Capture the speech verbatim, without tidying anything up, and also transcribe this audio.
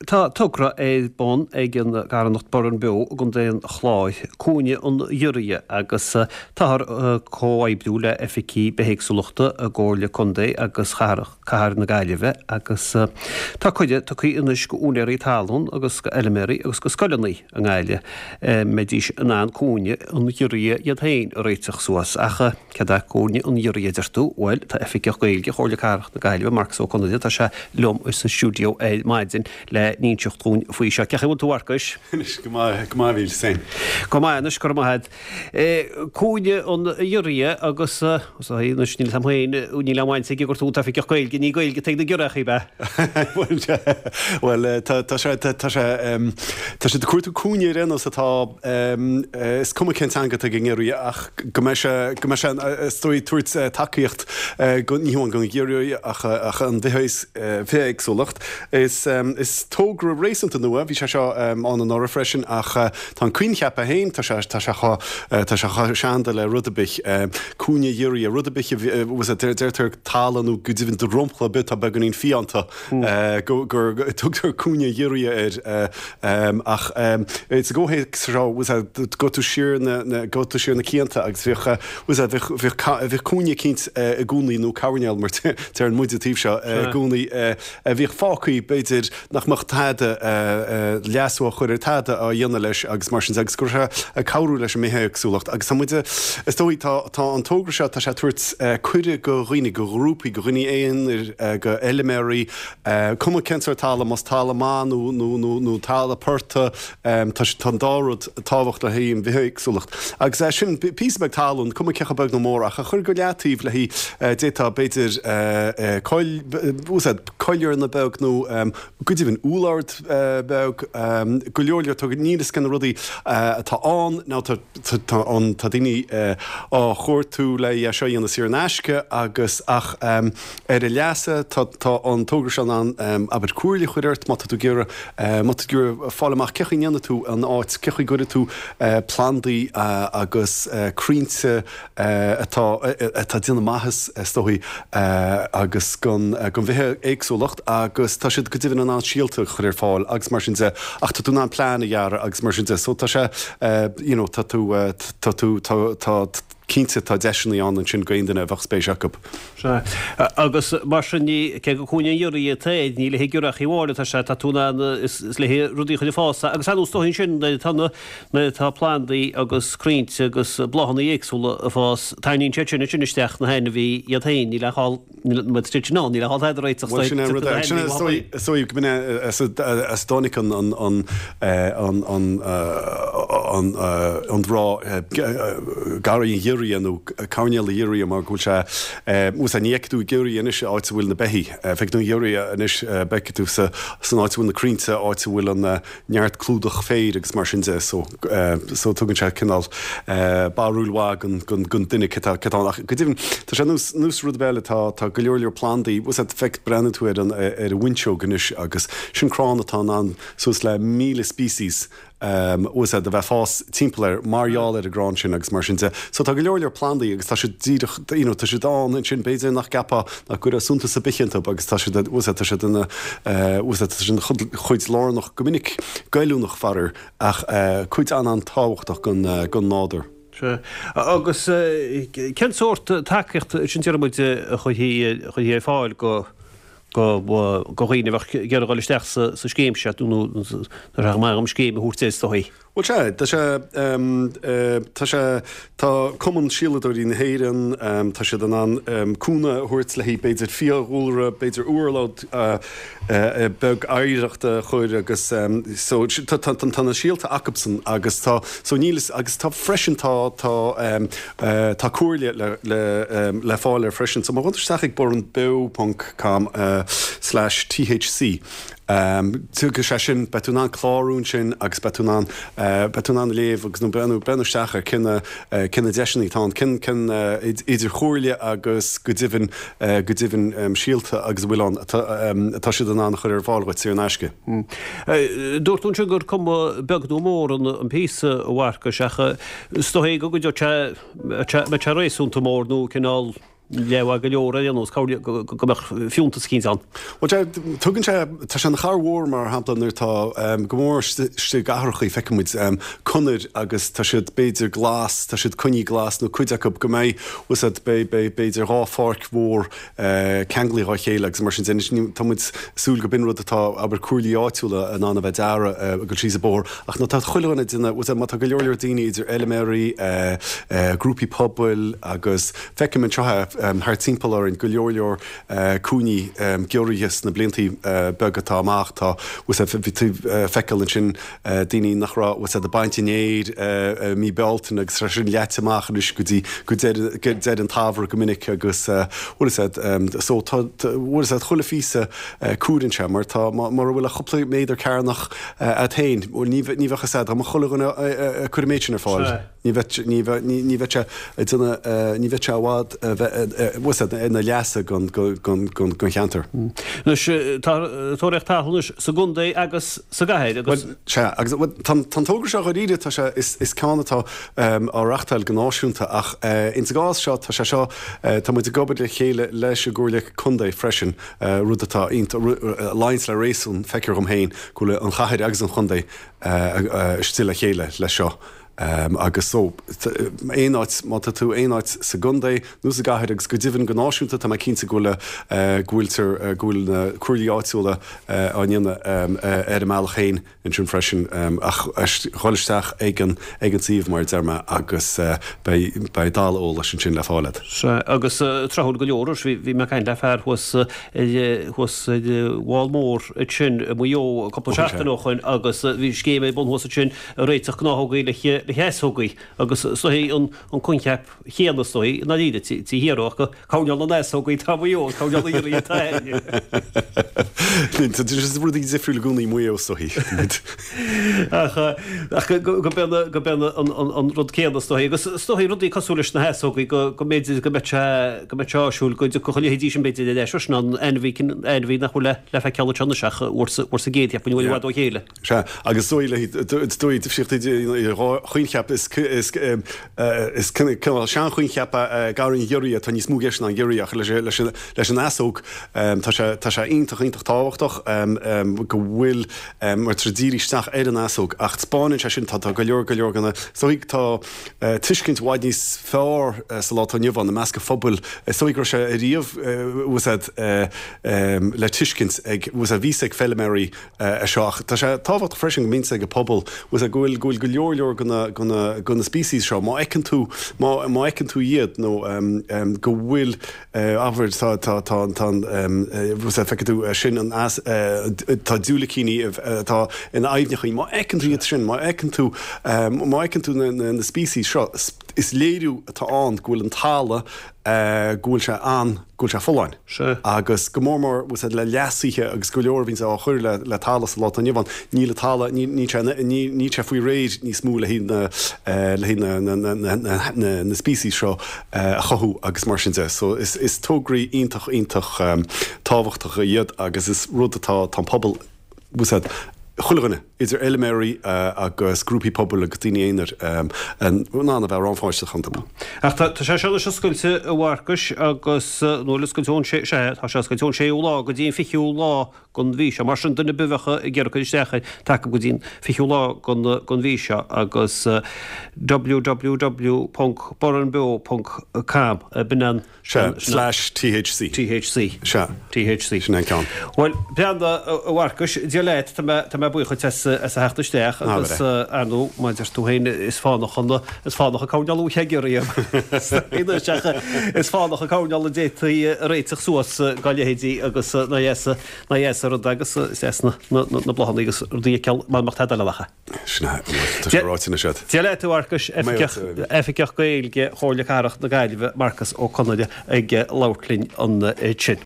Tá togra ar bun ag an gcarthanacht Burrenbeo i gContae an Chláir, Cúinne an Ghiorria, agus táthar ag comhoibriú le Oifigí Bithéagsúlachta i gComhairle Contae agus Chathair na Gaillimhe agus tá cuireadh tugtha anois go úinéirí talún agus go fheilméaraí agus go scoileanna i nGaillimh mbeidís in ann Cúinne an Ghiorria iad féin a réiteach suas. Ach céard é Cúinne an Ghiorria, a deir tú? Bhuel, tá Oifigeach Gaeilge Chomhairle Cathrach na Gaillimhe, Marcus Ó Conaire, tá sé liom sa stiúideo ar maidin le n-inseacht dúinn faoi seo. Cén chaoi a bhfuil tú, a Mharcais? Anois, go maith, go maith, a Mhíl, féin. Go maith anois, go raibh maith agat. Cúinne an Ghiorria agus, anois níl a fhios agam féin, níl aon bhaint aige gur tú an tOifigeach Gaeilge, ní Gaeilge atá ag na giorriachaí, ab ea? Bhuel, bhuel, tá, tá sé, tá sé, tá siad ag cuartú cúinne ar aon nós atá, is cuma cén teanga atá ag an ngiorria ach go mbeidh sé, go mbeidh sé, is dóigh, tabhairt tacaíocht go, ní hamháin don ghiorria ach, ach an bhithéagsúlacht. Is is togra réasúnta nua, bhí sé seo ann anuraidh freisin, ach tá an coincheap é féin, tá sé tá sé chomh tá sé chomh seanda le rud ar bith. Cúinne ghiorria, rud ar bith a bhfuil deirtear talamh nó go deimhin dromchla ar bith atá beagáinín fiánta go gur tugtar cúinne ghiorria air. Ach sa gcomhthéacs seo, gabhfaidh tú siar na gabhfaidh tú siar na cianta agus bhíodh bhíodh bhíodh cúinne eicínt i gcónaí nó coirnéal mar deireann muid an taobh seo i gcónaí a bhíodh fágtha, b'fhéidir, nach mbeadh tada leasú á chur ar tada á dhéanamh leis agus mar sin de agus go raibh sé ag cabhrú leis an mbithéagsúlacht agus tá muid, is dóigh, tá tá an togra seo, tá sé ag tabhairt cuireadh go dhaoine, go ghrúpaí, go dhaoine aonair, go fheilméaraí, cuma cén sórt talamh, más talamh maith nó nó nó nó talamh portaigh, tá sé tá an dá rud tábhachtach le haghaidh an bhithéagsúlacht. Agus é sin, píosa beag talún, cuma cé chomh beag nó mór, ach a chur go leataobh le haghaidh, d'fhéadfá, b'fhéidir, coill, coillearna beag nó go deimhin úllord beag, go leor leor, tá, níl fhios cé na rudaí atá ann, nó tá, tá an, tá daoine á chuartú le é seo a dhéanamh saor in aisce agus ach ar a leasa tá, tá an togra seo in ann, abair, comhairle a chur ort má tá tú ag iarraidh, má tá tú ag iarraidh fáil amach cé chaoi a ndéanfaidh tú an áit, cé chaoi gcuirfidh tú plandaí agus crainnte atá, atá ag déanamh maitheas is dóigh agus don bhithéagsúlacht agus tá siad go deimhin in ann síolta a chur ar fáil agus mar sin de ach tá tú in ann plean a dhearadh agus mar sin de so tá sé you know tá tú tá tú tá tá cinnte tá deiseanna ann ansin d'aon duine a bheadh spéis acu. Sea. Agus mar sin ní, cé gur cúinne an ghiorria atá air, ní le haghaidh giorriachaí amháin atá sé, tá tú in ann, is le haghaidh rudaí a chur ag fás agus ar nós dóigh ansin nuair atá na, nuair atá plandaí agus crainnte agus bláthanna éagsúla ag fás, tarraingíonn siad sin ansin isteach na hainmhithe iad féin, níl aon chall, níl, má tá siad sin ann, níl aon chall tada a réiteach Bhuel sin é an rud é, sin é, is dóigh, is dóigh go mb'in é as a dtáinig an, an, an, an, an, an, an rá garraí an ghiorria nó coirnéal an ghiorria mar go bhfuil sé, bhuel sea, ní fheicfidh tú giorria anois áit a bhfuil na beithígh, feicfidh tú an giorria anois, feicfidh tú sa, san áit a bhfuil na crainnte, áit a bhfuil an, neart clúdach féir agus mar sin de so so tugann sé cineál barúil mhaith don don don duine cé tá cé tá ann ach go deimhin tá sé nós nós rud eile tá tá go leor leor plandaí bhfuil a fhios agat feic breathnaíonn tú ar an ar an bhfuinseog anois agus sin crann atá in ann suas le míle species bhfuil a fhios agat a bheith ag fás timpeall air mar gheall ar an gcrann sin agus mar sin de. So tá go leor leor plandaí agus tá siad díreach, you know, tá siad ann ansin, b'fhéidir nach gceapfá, nach gcuirfeá suntas ar bith iontu agus tá siad, bhfuil a fhios agat, tá siad ina, bhfuil a fhios agat, tá siad ina chuid lárnach, go minic goilliúnach faraor, ach cuid an-an-tábhachtach den, den nádúr. Sea. Agus cén sórt tacaíocht sin déarfaidh muid a chuirfí ar fáil go, go dhaoine a bheadh ag iarraidh dul isteach sa scéim seo, nó tá sé go maith dhom scéim a thabhairt air is dóigh. Bhuel sea, tá sé, tá sé, tá Cumann Síoladóirí na hÉireann, tá siad in ann cúnamh a thabhairt le haghaidh b'fhéidir fiadhúlra, b'fhéidir urlár beag oidhreachta a chur agus so tá, tá, tá na síolta acubsan agus tá, so níl, agus tá freisin tá, tá, Tá comhairle le fáil air freisin. So má ghabhann tú isteach ag burrenbeo ponc com slash THC tiocfaidh sé sin, beidh tú in ann clárú ansin agus beidh tú in ann, beidh tú in ann léamh agus nó breathnú, breathnú isteach ar cén, cén na deiseanna atá ann, cén, cén idir chomhairle agus go deimhin, go deimhin síolta agus a bhfuil ann atá, atá siad in ann a chur ar fáil dhuit saor in aisce. Dúirt tú ansin gur cuma beag nó mór an píosa, a Mharcais, ach Is dóigh go gcuideodh sé, mbeadh sé réasúnta mór nó cineál leamh go leor ar aon nós, go mbeadh fiúntas eicínt ann. Bhuel, tugann sé, tá sé ina chabhair mhór mar shampla nuair atá, go mór istigh i gcathrachaí, feiceann muid conair agus tá siad b'fhéidir glas, tá siad coinnithe glas nó cuid acu go mbeidh, bhfuil a fhios agat, beidh, beidh b'fhéidir dhá pháirc mhór ceanglaithe dhá chéile agus mar sin de. Anois tá muid ag súil go b'in rud atá, abair, comhairlí áitiúla in ann a bheith ag dearadh ag dul síos an bóthar ach nuair atá chuile dhuine ag déanamh, bhfuil a fhios agat, má tá go leor leor daoine idir fheilméaraí, grúpaí pobail agus feicim anseo thart timpeall orainn go leor leor cúinní giorraithe sna bliantaí beaga atá amach. Tá, bhfuil a fhios agat, bhí tú ag feiceáil ansin daoine nach raibh, bhfuil a fhios agat, ag baint an fhéir i mí Bealtaine agus tá sin leaite amach anois go dtí go deireadh an tsamhraidh go minic agus bhfuil a fhios agat, so tá, bhfuil a fhios agat, chuile phíosa cuireann sé mar tá, mura bhfuil ach cúpla méadar cearnach agat féin, bhuel ní bheadh a fhios agat, dá mbeadh chuile dhuine ag cur an méid sin ar fáil. Ní bheadh, ní bheadh, ní bheadh sé ag déanamh, ní bheadh sé i bhfad a bheith, bhfuil a fhios agat, ina leasa don, don, don, don cheantar. Anois, tá Tóraíocht Talún anois sa gcontae agus sa gcathair agus. Bhuel, sea, agus, bhuel, tá, tá an togra seo dháiríre, tá sé, is, is ceann atá á reachtáil go náisiúnta ach ins an gcás seo, tá sé seo, tá muid ag obair le chéile leis an gComhairle Contae freisin, rud atá iontach, a luíonns le réasún, feictear dhom féin, go bhfuil an chathair agus an chontae istigh le chéile leis seo. Agus so, aon áit, má tá tú aon áit sa gcontae nó sa gcathair agus go deimhin go náisiúnta, tá mé cinnte go bhfuil, go bhfuiltear, go bhfuil na comhairlí áitiúla á ndéanamh ar a mbealach féin ansin freisin. Ach dhul isteach ag an, ag an suíomh mar a deir mé agus beidh, beidh dalladh eolais ansin le fáil agat. Sea, agus tráthúil go leor, bhí mé ag caint le fear thuas ar, thuas ar an bhFál Mór ansin i Maigh Eo cúpla seachtain ó shoin agus bhí scéim ar bun thuas ansin ag réiteach gnáthógaí le le heasógaí agus is dóichí an an coincheap chéanna is dóichí i ndáiríre trí thiar ach coirnéal na n-easógaí atá i Maigh Eo agus coirnéal na ngiorria atá againne. Tá rudaí difriúil i gcónaí i Maigh Eo is dóichí. Ach ach go go b'in go b'in an an an rud céanna is dóichí agus is dóichí rudaí cosúil leis na heasógaí go go mb'fhéidir go mbeadh sé go mbeadh sé áisiúil go dtiocfadh a leithéidí sin b'fhéidir ar ais freisin an ainmhí ainmhí nach bhfuil le le feiceáil anseo anois ach uair sa uair sa gcéad cheapfainn i bhfad ó chéile. Sea, agus is dóigh léi, is dóigh difríocht idir dhá choincheap, is is cineál seanchoincheap é garraí an ghiorria, tá níos mó i gceist ná an giorria ach leis leis an easóg tá sé tá sé iontach iontach tábhachtach go bhfuil mar tá dírithe isteach ar an easóg ach taispeánann sé sin tá tá go leor go leor de na is dóigh tá tuiscint i bhfad níos fearr sa lá atá inniu ann i measc an phobail is dóigh go raibh sé ariamh bhfuil a fhios agat le tuiscint ag bhfuil a fhios agat bhí a fhios ag feilméaraí é seo ach tá sé tábhachtach freisin go mbíonn a fhios ag an pobal bhfuil a fhios agat go bhfuil go bhfuil go leor leor de na de na de na species seo má fheiceann tú má má fheiceann tú iad nó go bhfuil abair tá tá tá tá an bhfuil a fhios agat feicfidh tú sin an eas tá diúilicíní atá in aibhneachaí má fheiceann tú iad sin má fheiceann tú má fheiceann tú na na na species seo is léiriú atá ann go bhfuil an talamh go bhfuil sé an, go bhfuil sé folláin. Sea. Agus go mór mór, bhfuil a fhios agat, le leasuithe agus go leor a bhíonns á chur le, le talamh sa lá atá inniu ann, níl an talamh, ní, níl sé, ní, níl sé faoi réir níos mó le haghaidh na, le haghaidh na, na, na, na, na, na, na species seo a chothú agus mar sin de. So is, is tograí iontach, iontach tábhachtacha iad agus is rud atá, tá an pobal, bhfuil a fhios agat, chuile dhuine, idir fheilméaraí agus grúpaí pobail agus daoine aonair, in ann a bheith rannpháirteach iontu. Ach tá sé seo anois oscailte, a Mharcais, agus nó oscailte ón sé, sea, tá sé oscailte ón séú lá go dtí an fichiú lá den mhí seo. Mar sin, duine ar bith a bheadh ag iarraidh cur isteach air, tá acu go dtí an fichiú lá den mhí seo agus www ponc burrenbeo ponc com, b'in an. Sea, slash THC. THC. Sea. THC. Sin é an ceann. Bhuel, breathnaigh, a Mharcais, Dia leat, tá mé, tá mé buíoch dhuit as, as a theacht isteach agus, ar ndóigh, mar a deir tú féin, is fánach an, is fánach an coirnéal uaidh ag iarraidh is fánach an coirnéal a d'fhéadfaí a réiteach suas dá leithéidí agus ná dheas, ná dheas an rud agus is deas na, na, na bláthanna agus rudaí a fheiceáil mar mbeadh tada eile acu. Sin é, tá sé ráite anois agat. Dia leat, a Mharcais, Oifigeach Gaeilge Chomhairle Cathrach na Gaillimhe, Marcas Ó Conaire, ag labhairt linn ansin.